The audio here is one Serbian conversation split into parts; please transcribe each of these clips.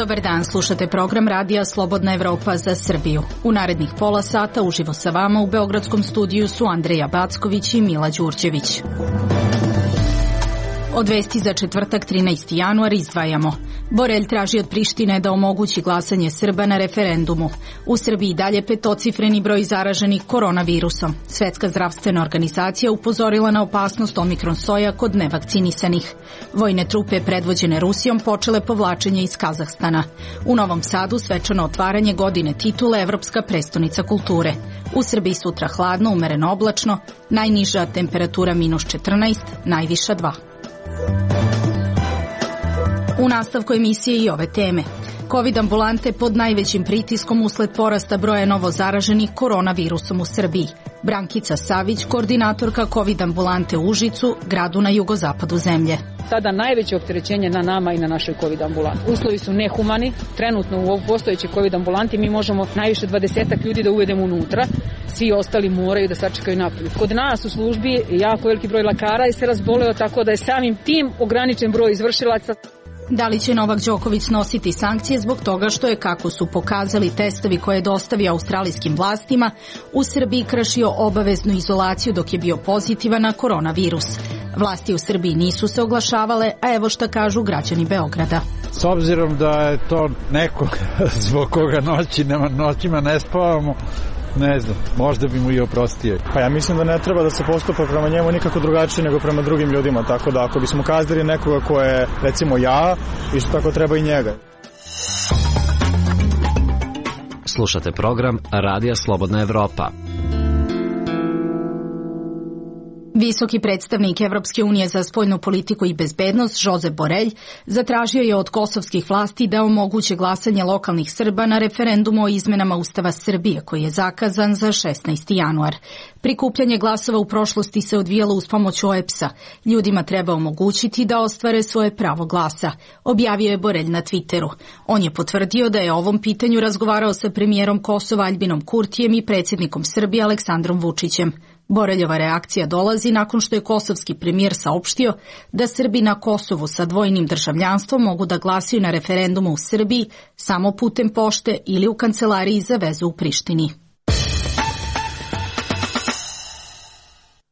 Dobar dan, slušate program Radija Slobodna Evropa za Srbiju. U narednih pola sata uživo sa vama u beogradskom studiju su Andreja Backović i Mila Đurđević. Od vesti za četvrtak 13. januar izdvajamo. Borelj traži od Prištine da omogući glasanje Srba na referendumu. U Srbiji dalje petocifreni broj zaraženih koronavirusom. Svetska zdravstvena organizacija upozorila na opasnost omikron soja kod nevakcinisanih. Vojne trupe predvođene Rusijom počele povlačenje iz Kazahstana. U Novom Sadu svečano otvaranje godine titule Evropska prestonica kulture. U Srbiji sutra hladno, umereno oblačno, najniža temperatura -14, najviša 2. U nastavku emisije i ove teme. Covid ambulante pod najvećim pritiskom usled porasta broja novo zaraženih koronavirusom u Srbiji. Brankica Savić, koordinatorka Covid ambulante u Užicu, gradu na jugozapadu zemlje. Sada najveće opterećenje na nama i na našoj Covid ambulanti. Uslovi su nehumani. Trenutno u ovoj postojećoj Covid ambulanti mi možemo najviše 20 ljudi da uvedemo unutra. Svi ostali moraju da sačekaju napolju. Kod nas u službi je jako veliki broj lekara i se razboleo, tako da je samim tim ograničen broj izvršilaca. Da li će Novak Đoković snositi sankcije zbog toga što je, kako su pokazali testovi koje je dostavio australijskim vlastima, u Srbiji kršio obaveznu izolaciju dok je bio pozitivan na koronavirus? Vlasti u Srbiji nisu se oglašavale, a evo šta kažu građani Beograda. S obzirom da je to neko zbog koga noćima ne spavamo, ne znam, možda bi mu i oprostio. Pa ja mislim da ne treba da se postupa prema njemu nikako drugačije nego prema drugim ljudima, tako da ako bismo kaznili nekoga ko je, recimo ja, isto tako treba i njega. Slušate program Radija Slobodna Evropa. Visoki predstavnik Evropske unije za spoljnu politiku i bezbednost, Josep Borelj, zatražio je od kosovskih vlasti da omoguće glasanje lokalnih Srba na referendumu o izmenama Ustava Srbije, koji je zakazan za 16. januar. Prikupljanje glasova u prošlosti se odvijalo uz pomoć OEBS-a. Ljudima treba omogućiti da ostvare svoje pravo glasa, objavio je Borelj na Twitteru. On je potvrdio da je o ovom pitanju razgovarao sa premijerom Kosova Aljbinom Kurtijem i predsjednikom Srbije Aleksandrom Vučićem. Boreljova reakcija dolazi nakon što je kosovski premijer saopštio da Srbi na Kosovu sa dvojnim državljanstvom mogu da glasaju na referendumu u Srbiji samo putem pošte ili u kancelariji za vezu u Prištini.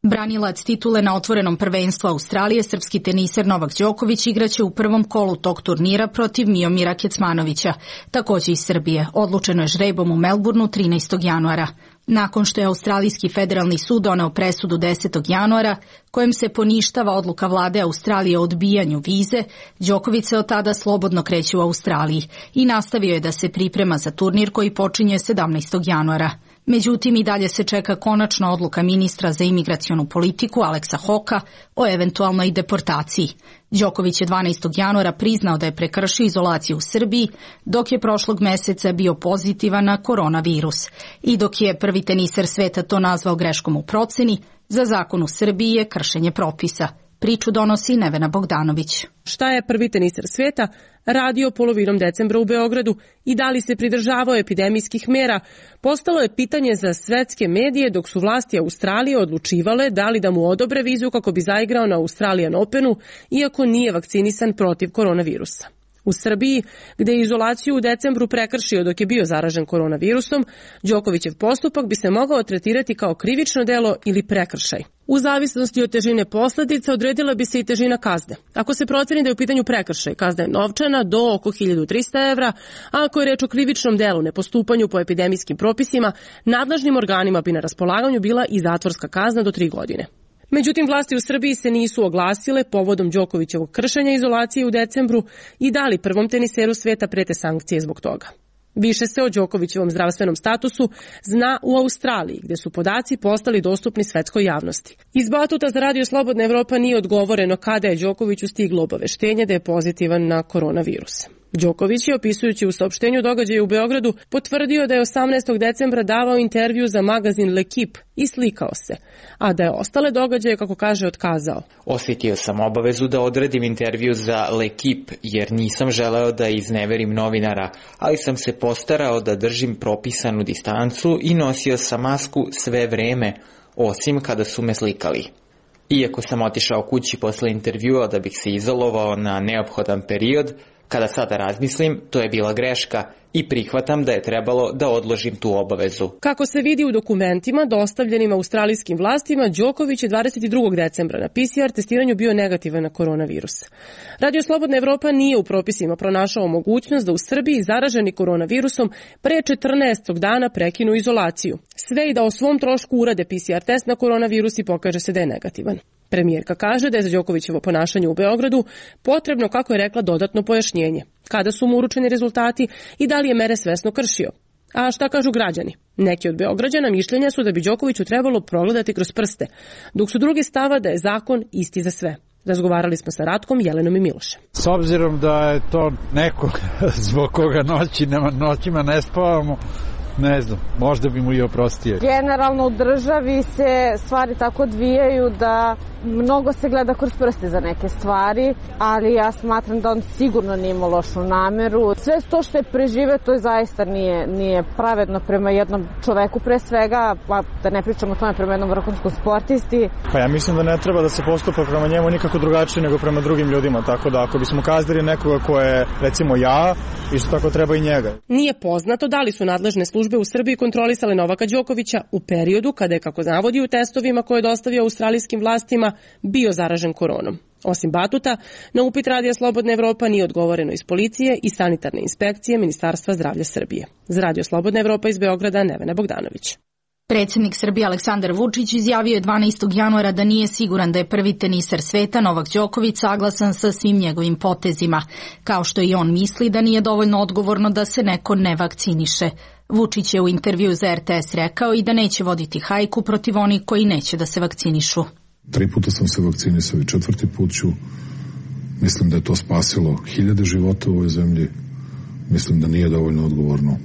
Branilac titule na otvorenom prvenstvu Australije, srpski teniser Novak Đoković igraće u prvom kolu tog turnira protiv Miomira Kecmanovića, takođe iz Srbije. Odlučeno je žrebom u Melbourneu 13. januara. Nakon što je Australijski federalni sud doneo presudu 10. januara, kojim se poništava odluka vlade Australije o odbijanju vize, Đoković se od tada slobodno kreće u Australiji i nastavio je da se priprema za turnir koji počinje 17. januara. Međutim, i dalje se čeka konačna odluka ministra za imigracionu politiku Aleksa Hoka o eventualnoj deportaciji. Đoković je 12. januara priznao da je prekršio izolaciju u Srbiji, dok je prošlog meseca bio pozitivan na koronavirus. I dok je prvi teniser sveta to nazvao greškom u proceni, za zakon u Srbiji je kršenje propisa. Priču donosi Nevena Bogdanović. Šta je prvi teniser sveta radio polovinom decembra u Beogradu i da li se pridržavao epidemijskih mera, postalo je pitanje za svetske medije dok su vlasti Australije odlučivale da li da mu odobre vizu kako bi zaigrao na Australian Openu, iako nije vakcinisan protiv koronavirusa. U Srbiji, gde je izolaciju u decembru prekršio dok je bio zaražen koronavirusom, Đokovićev postupak bi se mogao tretirati kao krivično delo ili prekršaj. U zavisnosti od težine posledica odredila bi se i težina kazne. Ako se proceni da je u pitanju prekršaj, kazna je novčana do oko 1300 evra, a ako je reč o krivičnom delu nepostupanju po epidemijskim propisima, nadležnim organima bi na raspolaganju bila i zatvorska kazna do 3 godine. Međutim, vlasti u Srbiji se nisu oglasile povodom Đokovićevog kršenja izolacije u decembru i dali prvom teniseru sveta prete sankcije zbog toga. Više se o Đokovićevom zdravstvenom statusu zna u Australiji, gde su podaci postali dostupni svetskoj javnosti. Iz Batuta za Radio Slobodna Evropa nije odgovoreno kada je Đokoviću stiglo obaveštenje da je pozitivan na koronavirus. Đoković je, opisujući u saopštenju događaja u Beogradu, potvrdio da je 18. decembra davao intervju za magazin L'Equipe i slikao se, a da je ostale događaje, kako kaže, otkazao. Osjetio sam obavezu da odredim intervju za L'Equipe jer nisam želeo da izneverim novinara, ali sam se postarao da držim propisanu distancu i nosio sam masku sve vreme, osim kada su me slikali. Iako sam otišao kući posle intervjua da bih se izolovao na neophodan period, Kada sada razmislim, to je bila greška i prihvatam da je trebalo da odložim tu obavezu. Kako se vidi u dokumentima dostavljenim australijskim vlastima, Đoković je 22. decembra na PCR testiranju bio negativan na koronavirus. Radio Slobodna Evropa nije u propisima pronašao mogućnost da u Srbiji zaraženi koronavirusom pre 14. dana prekinu izolaciju. Sve i da o svom trošku urade PCR test na koronavirus i pokaže se da je negativan. Premijerka kaže da je za Đokovićevo ponašanje u Beogradu potrebno, kako je rekla, dodatno pojašnjenje. Kada su mu uručeni rezultati i da li je mere svesno kršio. A šta kažu građani? Neki od Beograđana mišljenja su da bi Đokoviću trebalo progledati kroz prste, dok su drugi stava da je zakon isti za sve. Razgovarali smo sa Ratkom, Jelenom i Milošem. S obzirom da je to neko zbog koga noćima ne spavamo, ne znam, možda bi mu i oprostio. Generalno u državi se stvari tako odvijaju da mnogo se gleda kroz prste za neke stvari, ali ja smatram da on sigurno nije imao lošu nameru. Sve to što je preživeo, to zaista nije pravedno prema jednom čoveku pre svega, pa da ne pričamo o tome prema jednom vrhunskom sportisti. Pa ja mislim da ne treba da se postupa prema njemu nikako drugačije nego prema drugim ljudima, tako da ako bismo kaznili nekoga ko je, recimo ja, isto tako treba i njega. Nije poznato da li su nadležne službe u Srbiji kontrolisale Novaka Đokovića u periodu kada je, kako navodi u testovima koje je dostavio australijskim vlastima, bio zaražen koronom. Osim batuta, na upit Radija Slobodna Evropa nije odgovoreno iz policije i sanitarne inspekcije Ministarstva zdravlja Srbije. Za Radio Slobodna Evropa iz Beograda, Nevena Bogdanović. Predsjednik Srbije Aleksandar Vučić izjavio je 12. januara da nije siguran da je prvi teniser sveta Novak Đoković saglasan sa svim njegovim potezima, kao što i on misli da nije dovoljno odgovorno da se neko ne vakciniše. Vučić je u intervju za RTS rekao i da neće voditi hajku protiv onih koji neće da se vakcinišu. 3 puta sam se vakcinisao i 4. put ću. Mislim da je to spasilo 1000 života u ovoj zemlji. Mislim da nije dovoljno odgovorno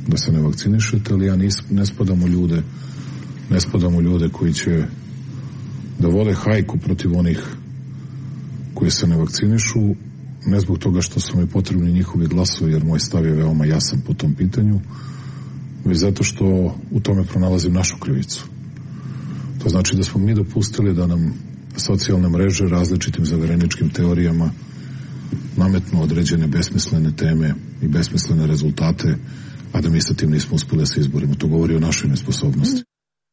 da se ne vakcinišete, ali ja ne spadam u ljude koji će da vode hajku protiv onih koji se ne vakcinišu, ne zbog toga što su mi potrebni njihovi glasovi, jer moj stav je veoma jasan po tom pitanju, već zato što u tome pronalazim našu krivicu. To znači da smo mi dopustili da nam socijalne mreže različitim zavereničkim teorijama nametnu određene besmislene teme i besmislene rezultate, a da mi sa tim nismo uspeli da se izborimo. To govori o našoj nesposobnosti.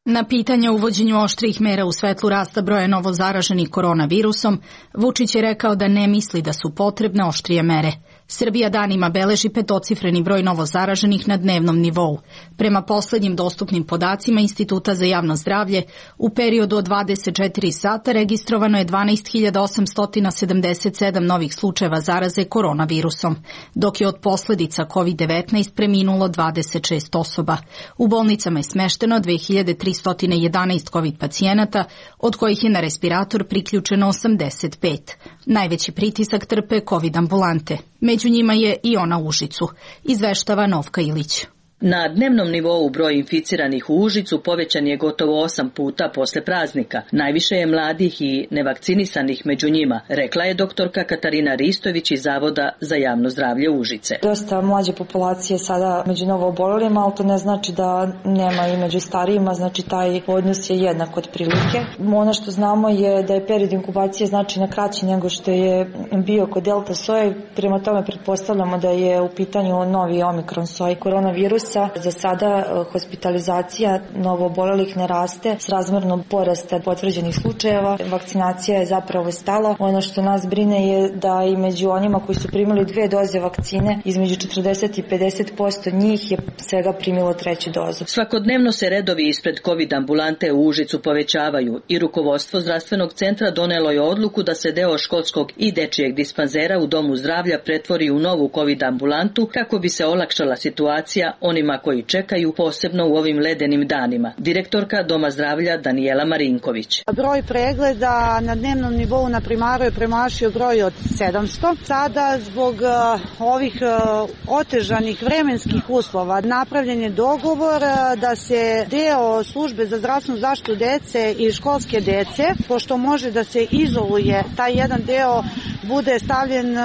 Na pitanje o uvođenju oštrih mera u svetlu rasta broja novozaraženih koronavirusom, Vučić je rekao da ne misli da su potrebne oštrije mere. Srbija danima beleži 5-cifreni broj novozaraženih na dnevnom nivou. Prema poslednjim dostupnim podacima Instituta za javno zdravlje, u periodu od 24 sata registrovano je 12.877 novih slučajeva zaraze koronavirusom, dok je od posledica COVID-19 preminulo 26 osoba. U bolnicama je smešteno 2311 COVID pacijenata, od kojih je na respirator priključeno 85. Najveći pritisak trpe COVID ambulante. Među njima je i ona u Užicu, izveštava Novka Ilić. Na dnevnom nivou broj inficiranih u Užicu povećan je gotovo 8 puta posle praznika. Najviše je mladih i nevakcinisanih među njima, rekla je doktorka Katarina Ristović iz Zavoda za javno zdravlje Užice. Dosta mlađe populacije sada među novoobolelima, ali to ne znači da nema i među starijima, znači taj odnos je jednak od prilike. Ono što znamo je da je period inkubacije značajno kraći nego što je bio kod delta soje, prema tome pretpostavljamo da je u pitanju novi omikron soj koronavirusa. Za sada hospitalizacija novoobolelih ne raste s razmernom porasta potvrđenih slučajeva. Vakcinacija je zapravo stala. Ono što nas brine je da i među onima koji su primili 2 doze vakcine, između 40 i 50% njih je svega primilo 3. dozu. Svakodnevno se redovi ispred COVID ambulante u Užicu povećavaju i rukovodstvo zdravstvenog centra donelo je odluku da se deo školskog i dečijeg dispanzera u domu zdravlja pretvori u novu COVID ambulantu kako bi se olakšala situacija onima koji čekaju, posebno u ovim ledenim danima. Direktorka Doma zdravlja Danijela Marinković. Broj pregleda na dnevnom nivou na primaru je premašio broj od 700. Sada zbog ovih otežanih vremenskih uslova napravljen je dogovor da se deo službe za zdravstvenu zaštitu dece i školske dece, pošto može da se izoluje, taj jedan deo bude stavljen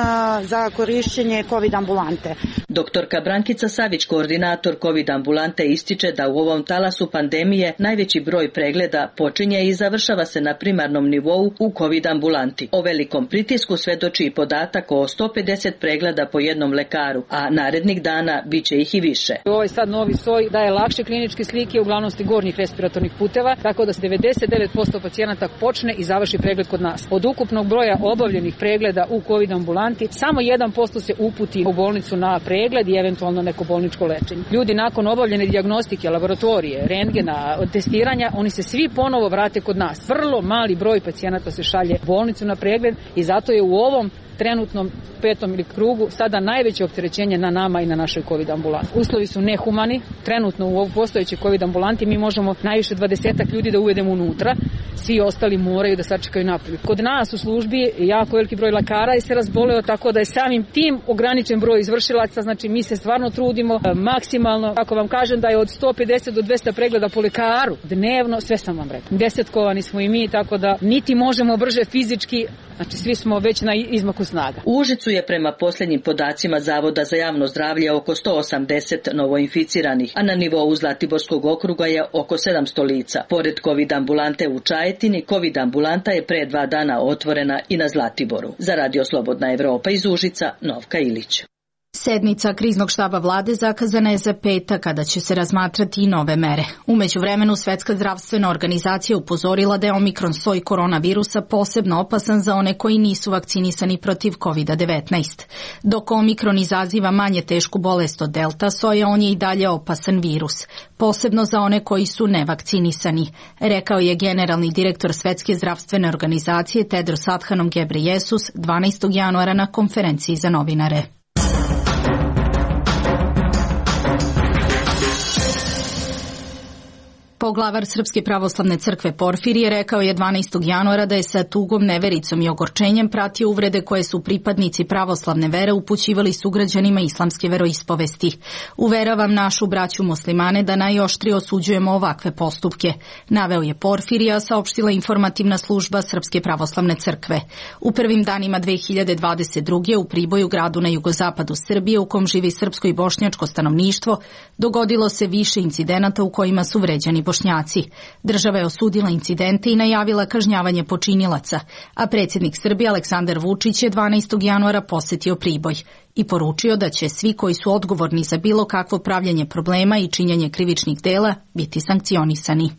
za korišćenje COVID ambulante. Doktorka Brankica Savić, koordinator direktor COVID ambulante ističe da u ovom talasu pandemije najveći broj pregleda počinje i završava se na primarnom nivou u COVID ambulanti. O velikom pritisku svedoči i podatak o 150 pregleda po jednom lekaru, a narednih dana biće ih i više. Ovaj sad novi soj daje lakše kliničke slike, uglavnom gornjih respiratornih puteva, tako da 99% pacijenata počne i završi pregled kod nas. Od ukupnog broja obavljenih pregleda u COVID ambulanti, samo 1% se uputi u bolnicu na pregled i eventualno neko bolničko lečenje. Ljudi nakon obavljene dijagnostike, laboratorije, rentgena, testiranja, oni se svi ponovo vrate kod nas. Vrlo mali broj pacijenata se šalje u bolnicu na pregled i zato je u ovom trenutnom 5. ili krugu sada najveće opterećenje na nama i na našoj COVID ambulanti. Uslovi su nehumani, trenutno u ovoj postojećoj COVID ambulanti mi možemo najviše 20 ljudi da uvedemo unutra, svi ostali moraju da sačekaju napolju. Kod nas u službi jako veliki broj lekara je se razboleo, tako da je samim tim ograničen broj izvršilaca, znači mi se stvarno trudimo maksimalno, ako vam kažem da je od 150 do 200 pregleda po lekaru dnevno, sve sam vam rekao. Desetkovani smo i mi, tako da niti možemo brže fizički, znači svi smo već na izmaku snaga. U Užicu je prema posljednjim podacima Zavoda za javno zdravlje oko 180 novoinficiranih, a na nivou Zlatiborskog okruga je oko 700 lica. Pored COVID ambulante u Čajetini, COVID ambulanta je pre 2 dana otvorena i na Zlatiboru. Za Radio Slobodna Evropa iz Užica, Novka Ilić. Sednica kriznog štaba vlade zakazana je za petak kada će se razmatrati i nove mere. U međuvremenu Svetska zdravstvena organizacija upozorila da je omikron soj koronavirusa posebno opasan za one koji nisu vakcinisani protiv COVID-19. Dok omikron izaziva manje tešku bolest od delta soja, on je i dalje opasan virus, posebno za one koji su nevakcinisani, rekao je generalni direktor Svetske zdravstvene organizacije Tedros Adhanom Ghebreyesus 12. januara na konferenciji za novinare. Poglavar Srpske pravoslavne crkve Porfirije rekao je 12. januara da je sa tugom, nevericom i ogorčenjem pratio uvrede koje su pripadnici pravoslavne vere upućivali sugrađanima islamske veroispovesti. Uveravam našu braću muslimane da najoštrije osuđujemo ovakve postupke, naveo je Porfirija, saopštila informativna služba Srpske pravoslavne crkve. U prvim danima 2022. u Priboju, gradu na jugozapadu Srbije u kom živi srpsko i bošnjačko stanovništvo, dogodilo se više incidenata u kojima su vređani Bošnjaci. Država je osudila incidente i najavila kažnjavanje počinilaca, a predsjednik Srbije Aleksandar Vučić je 12. januara posetio Priboj i poručio da će svi koji su odgovorni za bilo kakvo pravljenje problema i činjenje krivičnih dela biti sankcionisani.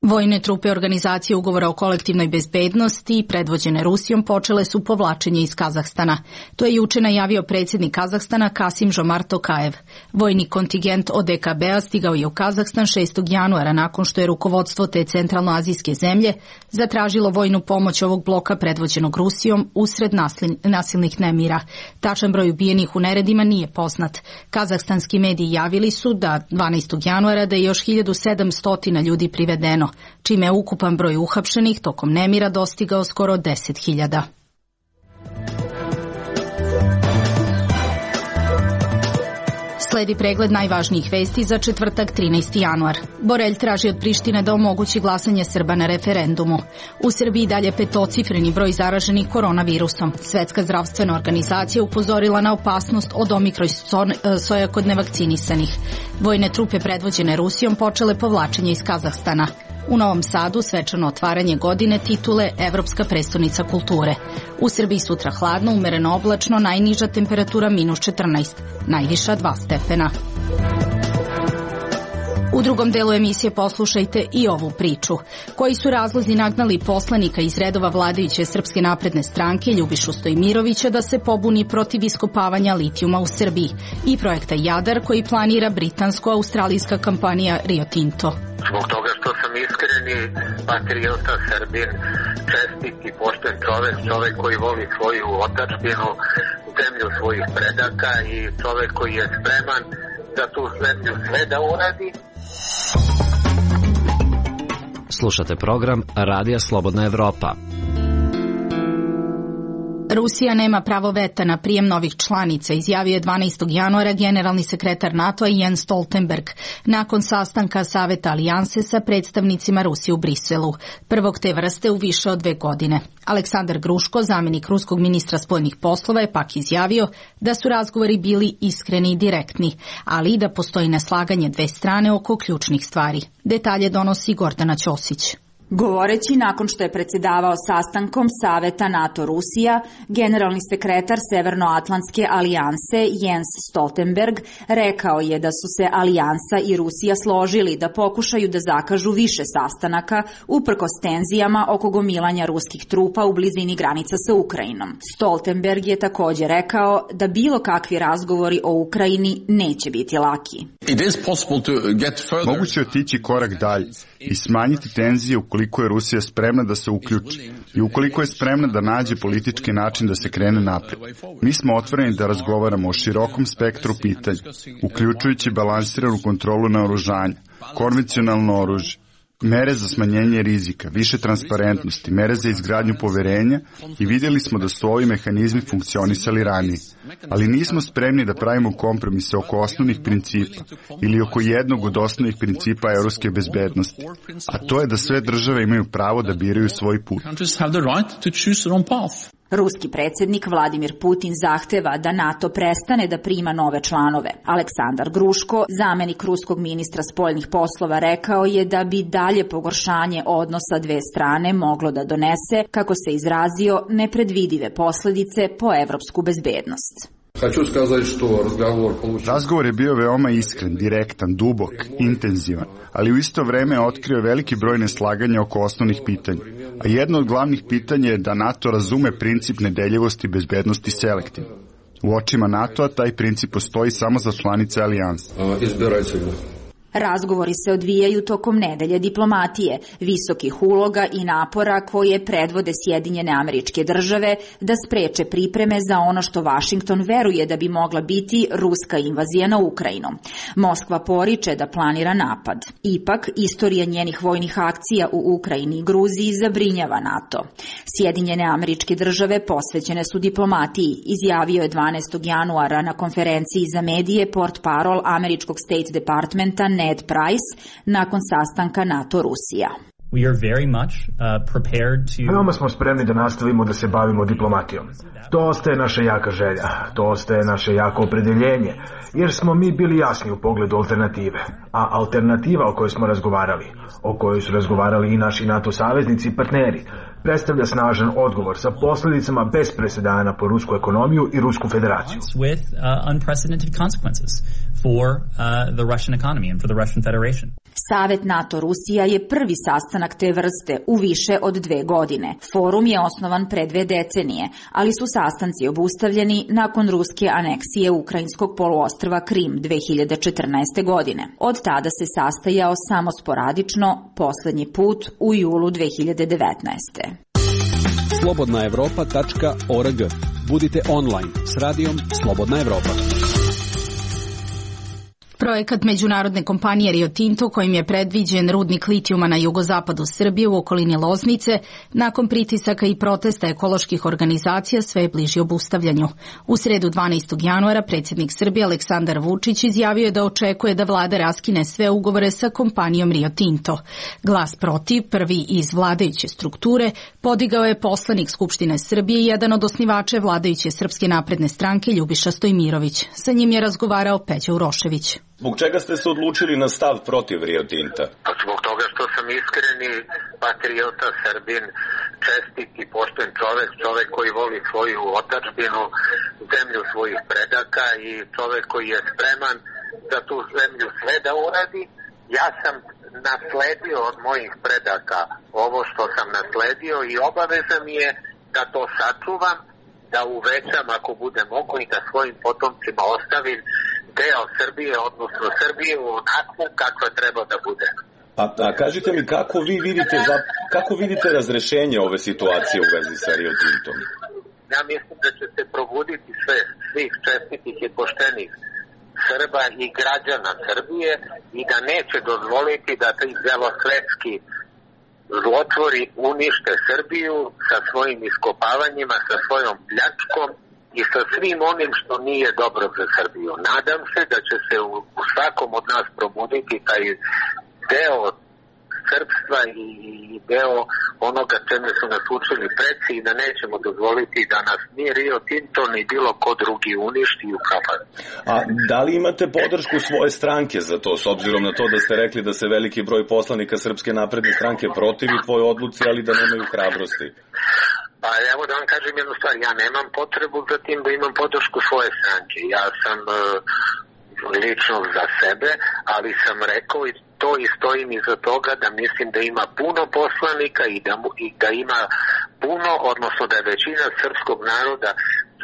Vojne trupe organizacije ugovora o kolektivnoj bezbednosti, predvođene Rusijom, počele su povlačenje iz Kazahstana. To je juče najavio predsjednik Kazahstana Kasim-Žomart Tokajev. Vojni kontingent ODKB-a stigao je u Kazahstan 6. januara nakon što je rukovodstvo te centralnoazijske zemlje zatražilo vojnu pomoć ovog bloka predvođenog Rusijom usred nasilnih nemira. Tačan broj ubijenih u neredima nije poznat. Kazahstanski mediji javili su da 12. januara da je još 1700 ljudi privedeno, čime je ukupan broj uhapšenih tokom nemira dostigao skoro 10.000. Sledi pregled najvažnijih vesti za četvrtak 13. januar. Borelj traži od Prištine da omogući glasanje Srba na referendumu. U Srbiji dalje petocifreni broj zaraženih koronavirusom. Svetska zdravstvena organizacija upozorila na opasnost od omikron soja kod nevakcinisanih. Vojne trupe predvođene Rusijom počele povlačenje iz Kazahstana. U Novom Sadu svečano otvaranje godine titule Evropska prestonica kulture. U Srbiji sutra hladno, umereno oblačno, najniža temperatura -14, najviša 2 stepena. U drugom delu emisije poslušajte i ovu priču. Koji su razlozi nagnali poslanika iz redova vladajuće Srpske napredne stranke Ljubišu Stojmirovića da se pobuni protiv iskopavanja litijuma u Srbiji i projekta Jadar koji planira britansko-australijska kompanija Rio Tinto. Zbog toga što sam iskreni patriota, Srbin, čestit i pošten čovek koji voli svoju otadžbinu, zemlju svojih predaka i čovek koji je spreman za tu zemlju sve da uradi. Slušate program Radija Slobodna Evropa. Rusija nema pravo veta na prijem novih članica, izjavio je 12. januara generalni sekretar NATO-a Jens Stoltenberg nakon sastanka Saveta alijanse sa predstavnicima Rusije u Briselu, prvog te vrste u više od 2 godine. Aleksandar Gruško, zamenik ruskog ministra spoljnih poslova, je pak izjavio da su razgovori bili iskreni i direktni, ali i da postoji neslaganje dve strane oko ključnih stvari. Detalje donosi Gordana Ćosić. Govoreći nakon što je predsjedavao sastankom Saveta NATO-Rusija, generalni sekretar Severnoatlantske alijanse Jens Stoltenberg rekao je da su se alijansa i Rusija složili da pokušaju da zakažu više sastanaka uprkos tenzijama oko gomilanja ruskih trupa u blizini granica sa Ukrajinom. Stoltenberg je također rekao da bilo kakvi razgovori o Ukrajini neće biti laki. Moguće je otići korak dalje i smanjiti tenzije ukoliko je Rusija spremna da se uključi i ukoliko je spremna da nađe politički način da se krene napred. Mi smo otvoreni da razgovaramo o širokom spektru pitanja, uključujući balansiranu kontrolu naoružanja, konvencionalno oružje, mere za smanjenje rizika, više transparentnosti, mere za izgradnju poverenja i vidjeli smo da su ovi mehanizmi funkcionisali ranije. Ali nismo spremni da pravimo kompromise oko osnovnih principa ili oko jednog od osnovnih principa europske bezbednosti, a to je da sve države imaju pravo da biraju svoj put. Ruski predsjednik Vladimir Putin zahteva da NATO prestane da prima nove članove. Aleksandar Gruško, zamenik ruskog ministra spoljnih poslova, rekao je da bi dalje pogoršanje odnosa dve strane moglo da donese, kako se izrazio, nepredvidive posljedice po evropsku bezbednost. Razgovor je bio veoma iskren, direktan, dubok, intenzivan, ali u isto vreme otkrio veliki broj neslaganja oko osnovnih pitanja. A jedno od glavnih pitanja je da NATO razume princip nedeljivosti i bezbednosti selektivno. U očima NATO-a taj princip postoji samo za članice alijanse. Razgovori se odvijaju tokom nedelje diplomatije, visokih uloga i napora koje predvode Sjedinjene Američke Države da spreče pripreme za ono što Vašington veruje da bi mogla biti ruska invazija na Ukrajinu. Moskva poriče da planira napad. Ipak, istorija njenih vojnih akcija u Ukrajini i Gruziji zabrinjava NATO. Sjedinjene Američke Države posvećene su diplomatiji, izjavio je 12. januara na konferenciji za medije portparol američkog State Departmenta Ned Price nakon sastanka NATO-Rusija. Veoma smo spremni da nastavimo da se bavimo diplomatijom. To ostaje naša jaka želja, to ostaje naše jako opredeljenje, jer smo mi bili jasni u pogledu alternative. A alternativa o kojoj smo razgovarali, o kojoj su razgovarali i naši NATO saveznici i partneri, predstavlja snažan odgovor sa posljedicama bez presedana po rusku ekonomiju i Rusku federaciju. Savet NATO-Rusija je prvi sastanak te vrste u više od 2 godine. Forum je osnovan pre 2 decenije, ali su sastanci obustavljeni nakon ruske aneksije ukrajinskog poluostrva Krim 2014. godine. Od tada se sastajao samo sporadično, poslednji put u julu 2019. slobodnaevropa.org. Budite online s radijom Slobodna Evropa. Projekat međunarodne kompanije Rio Tinto, kojim je predviđen rudnik litijuma na jugozapadu Srbije u okolini Loznice, nakon pritisaka i protesta ekoloških organizacija sve je bliži obustavljanju. U sredu 12. januara predsjednik Srbije Aleksandar Vučić izjavio je da očekuje da vlada raskine sve ugovore sa kompanijom Rio Tinto. Glas protiv, prvi iz vladajuće strukture, podigao je poslanik Skupštine Srbije i jedan od osnivača vladajuće Srpske napredne stranke Ljubiša Stojmirović. Sa njim je razgovarao Peđa Urošević. Zbog čega ste se odlučili na stav protiv Rio Tinta? Zbog toga što sam iskreni patriota, Srbin, čestit i pošten čovek koji voli svoju otadžbinu, zemlju svojih predaka i čovek koji je spreman da tu zemlju sve da uradi. Ja sam nasledio od mojih predaka ovo što sam nasledio i obaveza mi je da to sačuvam, da uvećam ako bude mogu i da svojim potomcima ostavim deo Srbije, odnosno Srbije onako kakva treba da bude. A kažite mi kako vidite razrešenje ove situacije u vezi sa Rio Tintom? Ja mislim da će se probuditi svih čestitih i poštenih Srba i građana Srbije i da neće dozvoliti da ti belosvetski zlotvori unište Srbiju sa svojim iskopavanjima, sa svojom pljačkom i sa svim onim što nije dobro za Srbiju. Nadam se da će se u svakom od nas probuditi taj deo srpstva i deo onoga čemu su nas učili preci i da nećemo dozvoliti da nas ni Rio Tinto ni bilo ko drugi uništi i ukapani. A da li imate podršku svoje stranke za to, s obzirom na to da ste rekli da se veliki broj poslanika Srpske napredne stranke protivi tvoj odluci, ali da nemaju hrabrosti? Pa evo da vam kažem jednu stvar, ja nemam potrebu za tim da imam podršku svoje stranke. Ja sam lično za sebe, ali sam rekao i to i stojim iza toga da mislim da ima puno poslanika i da ima puno, odnosno da je većina srpskog naroda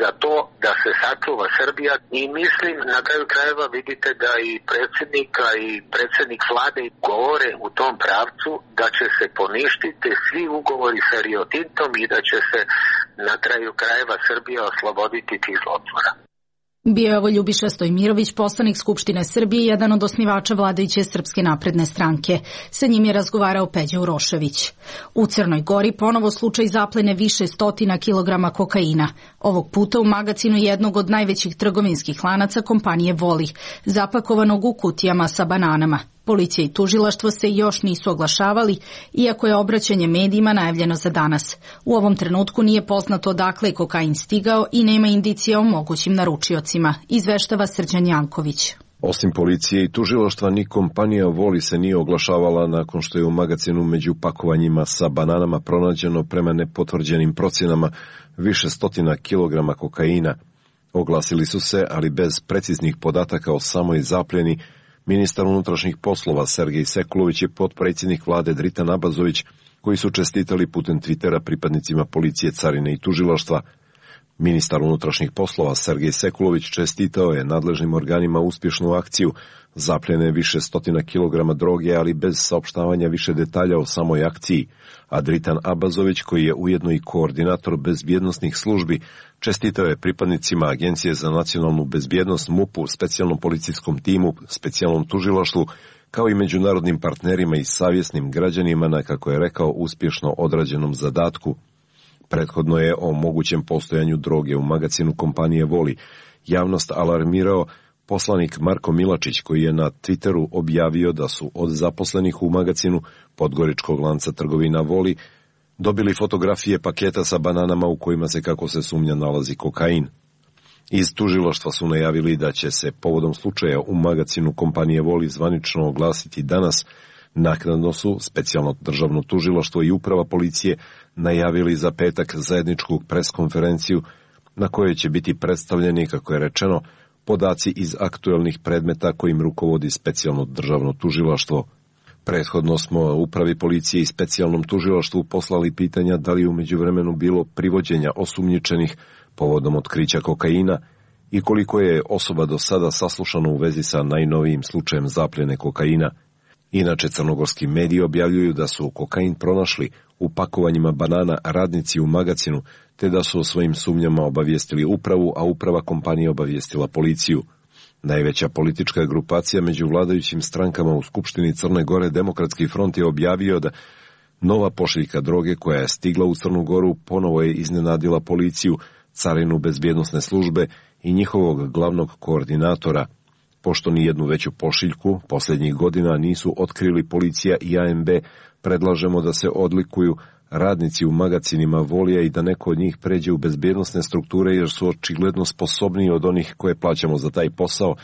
za to da se sačuva Srbija i mislim na kraju krajeva vidite da i predsjednika i predsjednik vlade govore u tom pravcu da će se poništiti svi ugovori sa Rio Tintom i da će se na kraju krajeva Srbija osloboditi tih zlotvora. Bio je ovo Ljubiša Stojmirović, poslanik Skupštine Srbije, jedan od osnivača vladajuće Srpske napredne stranke. Sa njim je razgovarao Peđa Urošević. U Crnoj Gori ponovo slučaj zaplene više stotina kilograma kokaina. Ovog puta u magacinu jednog od najvećih trgovinskih lanaca kompanije Voli, zapakovanog u kutijama sa bananama. Policija i tužilaštvo se još nisu oglašavali, iako je obraćanje medijima najavljeno za danas. U ovom trenutku nije poznato odakle je kokain stigao i nema indicija o mogućim naručiocima, izveštava Srđan Janković. Osim policije i tužilaštva, ni kompanija Voli se nije oglašavala nakon što je u magacinu među pakovanjima sa bananama pronađeno prema nepotvrđenim procjenama više stotina kilograma kokaina. Oglasili su se, ali bez preciznih podataka o samoj zapljeni. Ministar unutrašnjih poslova Sergej Sekulović i potpredsjednik vlade Dritan Abazović, koji su čestitali putem Twittera pripadnicima policije, carine i tužilaštva. Ministar unutrašnjih poslova Sergej Sekulović čestitao je nadležnim organima uspješnu akciju zapljene više stotina kilograma droge, ali bez saopštavanja više detalja o samoj akciji. A Dritan Abazović, koji je ujedno i koordinator bezbjednosnih službi, čestitao je pripadnicima Agencije za nacionalnu bezbjednost, MUP-u, specijalnom policijskom timu, specijalnom tužilaštvu, kao i međunarodnim partnerima i savjesnim građanima na, kako je rekao, uspješno odrađenom zadatku. Prethodno je o mogućem postojanju droge u magacinu kompanije Voli javnost alarmirao poslanik Marko Milačić, koji je na Twitteru objavio da su od zaposlenih u magacinu podgoričkog lanca trgovina Voli dobili fotografije paketa sa bananama u kojima se, kako se sumnja, nalazi kokain. Iz tužilaštva su najavili da će se povodom slučaja u magacinu kompanije Voli zvanično oglasiti danas. Naknadno su specijalno državno tužilaštvo i uprava policije najavili za petak zajedničku preskonferenciju na kojoj će biti predstavljeni, kako je rečeno, podaci iz aktuelnih predmeta kojim rukovodi specijalno državno tužilaštvo. Prethodno smo upravi policije i specijalnom tužilaštvu poslali pitanja da li je u međuvremenu bilo privođenja osumnjičenih povodom otkrića kokaina i koliko je osoba do sada saslušano u vezi sa najnovijim slučajem zapljene kokaina. Inače, crnogorski mediji objavljuju da su kokain pronašli u pakovanjima banana radnici u magacinu, te da su o svojim sumnjama obavijestili upravu, a uprava kompanije obavijestila policiju. Najveća politička grupacija među vladajućim strankama u Skupštini Crne Gore, Demokratski front, je objavio da nova pošiljka droge koja je stigla u Crnu Goru ponovo je iznenadila policiju, carinu, bezbjednosne službe i njihovog glavnog koordinatora. Pošto ni jednu veću pošiljku posljednjih godina nisu otkrili policija i ANB, predlažemo da se odlikuju radnici u magacinima Volija i da neko od njih pređe u bezbjednosne strukture jer su očigledno sposobniji od onih koje plaćamo za taj posao,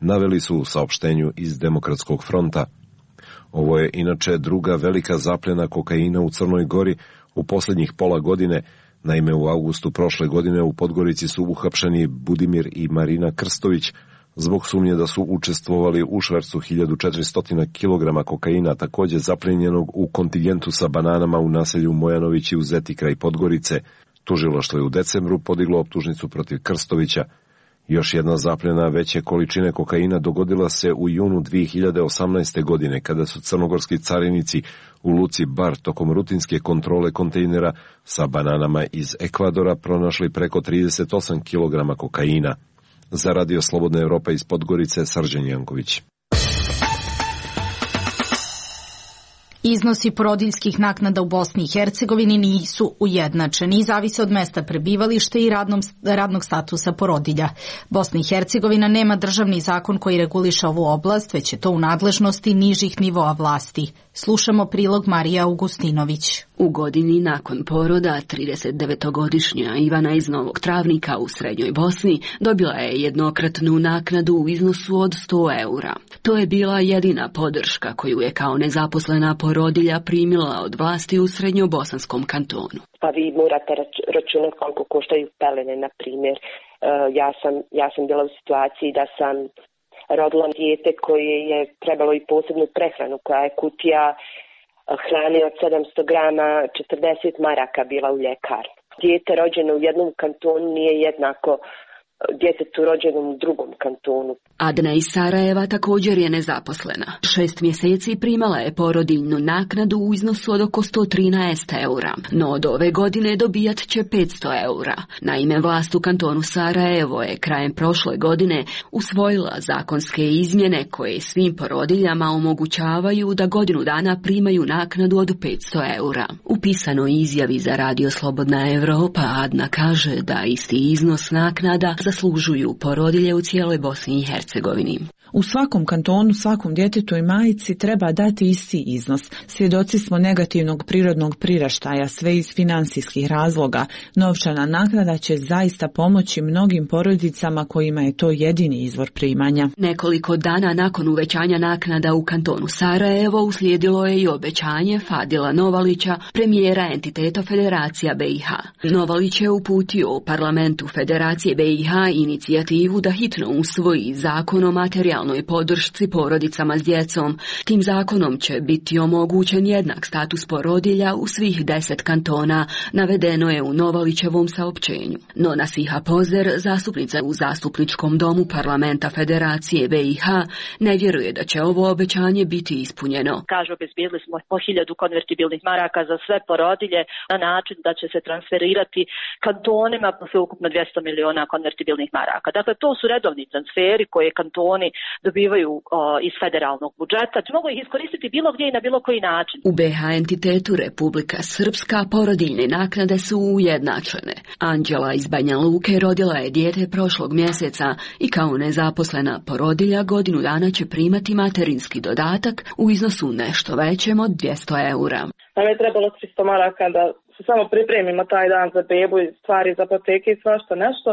naveli su u saopštenju iz Demokratskog fronta. Ovo je inače druga velika zapljena kokaina u Crnoj Gori u posljednjih pola godine. Naime, u avgustu prošle godine u Podgorici su uhapšeni Budimir i Marina Krstović zbog sumnje da su učestvovali u švercu 1400 kg kokaina, također zapljenjenog u kontingentu sa bananama u naselju Mojanovići u Zeti kraj Podgorice. Tužilaštvo je u decembru podiglo optužnicu protiv Krstovića. Još jedna zapljena veće količine kokaina dogodila se u junu 2018. godine, kada su crnogorski carinici u luci Bar tokom rutinske kontrole kontejnera sa bananama iz Ekvadora pronašli preko 38 kg kokaina. Za Radio Slobodna Evropa iz Podgorice, Srđan Janković. Iznosi porodiljskih naknada u Bosni i Hercegovini nisu ujednačeni i zavise od mesta prebivališta i radnog statusa porodilja. Bosna i Hercegovina nema državni zakon koji reguliše ovu oblast, već je to u nadležnosti nižih nivoa vlasti. Slušamo prilog Marija Augustinović. U godini nakon poroda 39-godišnja Ivana iz Novog Travnika u Srednjoj Bosni dobila je jednokratnu naknadu u iznosu od 100 eura. To je bila jedina podrška koju je kao nezaposlena porodilja primila od vlasti u Srednjobosanskom kantonu. Pa vi morate računati koliko koštaju pelene, na primjer. Ja sam bila u situaciji da sam rodila dijete koje je trebalo i posebnu prehranu, koja je kutija hrane od 700 grama, 40 maraka bila u ljekarni. Dijete rođeno u jednom kantonu nije jednako djetetu rođenom u drugom kantonu. Adna iz Sarajeva također je nezaposlena. 6 mjeseci primala je porodiljnu naknadu u iznosu od oko 113 eura, no od ove godine dobijat će 500 eura. Naime, vlast u kantonu Sarajevo je krajem prošle godine usvojila zakonske izmjene koje svim porodiljama omogućavaju da godinu dana primaju naknadu od 500 eura. U pisanoj izjavi za Radio Slobodna Evropa Adna kaže da isti iznos naknada zaslužuju porodilje u cijeloj Bosni i Hercegovini. U svakom kantonu, svakom djetetu i majici treba dati isti iznos. Svjedoci smo negativnog prirodnog priraštaja, sve iz financijskih razloga. Novčana naknada će zaista pomoći mnogim porodicama kojima je to jedini izvor primanja. Nekoliko dana nakon uvećanja naknada u kantonu Sarajevo uslijedilo je i obećanje Fadila Novalića, premijera entiteta Federacija BiH. Novalić je uputio u parlamentu Federacije BiH inicijativu da hitno usvoji zakon o materijalnoj podršci porodicama s djecom. Tim zakonom će biti omogućen jednak status porodilja u svih 10 kantona, navedeno je u Novalićevom saopćenju. No Nasiha Pozer, zastupnica u Zastupničkom domu parlamenta Federacije BiH, ne vjeruje da će ovo obećanje biti ispunjeno. Kažu, obezbijedili smo po 1000 konvertibilnih maraka za sve porodilje na način da će se transferirati kantonima sveukupno 200 miliona konvertibilnih maraka. Dakle, to su redovni transferi koje kantoni dobivaju iz federalnog budžeta. Mogu ih iskoristiti bilo gdje i na bilo koji način. U BiH entitetu Republika Srpska porodiljne naknade su ujednačene. Anđela iz Banja Luke rodila je dijete prošlog mjeseca i kao nezaposlena porodilja godinu dana će primati materinski dodatak u iznosu nešto većem od 200 eura. Nam je trebalo 300 maraka da se samo pripremimo taj dan za bebu i stvari za apoteke i svašta nešto.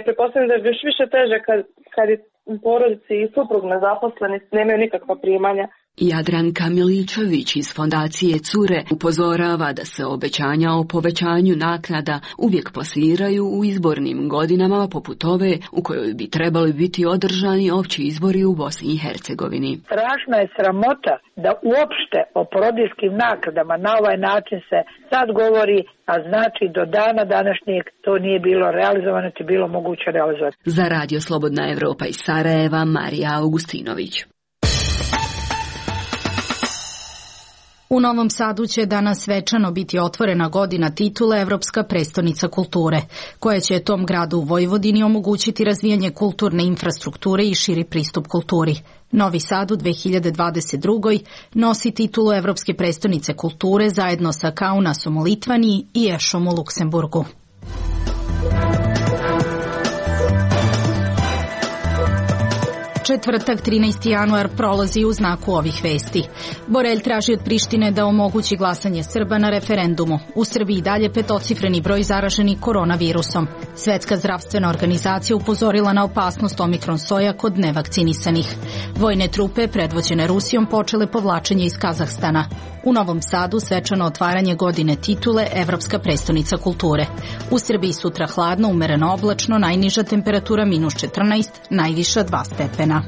Pretpostavljam da je još više teže kad je porodici i suprug nezaposleni, nemaju nikakva primanja. Jadranka Miličević iz fondacije Cure upozorava da se obećanja o povećanju naknada uvijek plasiraju u izbornim godinama poput ove u kojoj bi trebali biti održani opći izbori u Bosni i Hercegovini. Strašna je sramota da uopšte o porodiljskim naknadama na ovaj način se sad govori, a znači do dana današnjeg to nije bilo realizovano, niti bilo moguće realizovati. Za Radio Slobodna Evropa iz Sarajeva, Marija Augustinović. U Novom Sadu će danas svečano biti otvorena godina titule Evropska prestonica kulture, koja će tom gradu u Vojvodini omogućiti razvijanje kulturne infrastrukture i širi pristup kulturi. Novi Sad u 2022. nosi titulu Evropske prestonice kulture zajedno sa Kaunasom u Litvaniji i Ešom u Luksemburgu. Četvrtak, 13. januar, prolazi u znaku ovih vesti. Borelj traži od Prištine da omogući glasanje Srba na referendumu. U Srbiji dalje petocifreni broj zaraženih koronavirusom. Svetska zdravstvena organizacija upozorila na opasnost omikron soja kod nevakcinisanih. Vojne trupe, predvođene Rusijom, počele povlačenje iz Kazahstana. U Novom Sadu svečano otvaranje godine titule Evropska prestonica kulture. U Srbiji sutra hladno, umereno oblačno, najniža temperatura -14, najviša 2 stepena.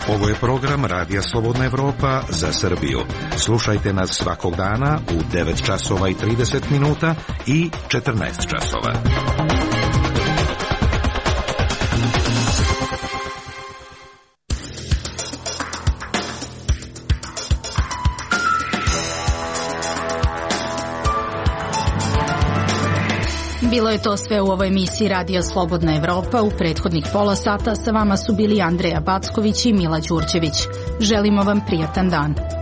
Ovo je program Radija Slobodna Evropa za Srbiju. Slušajte nas svakog dana u 9 časova i 30 minuta i 14 časova. Bilo je to sve u ovoj emisiji Radija Slobodna Evropa. U prethodnih pola sata sa vama su bili Andreja Backović i Mila Đurđević. Želimo vam prijatan dan.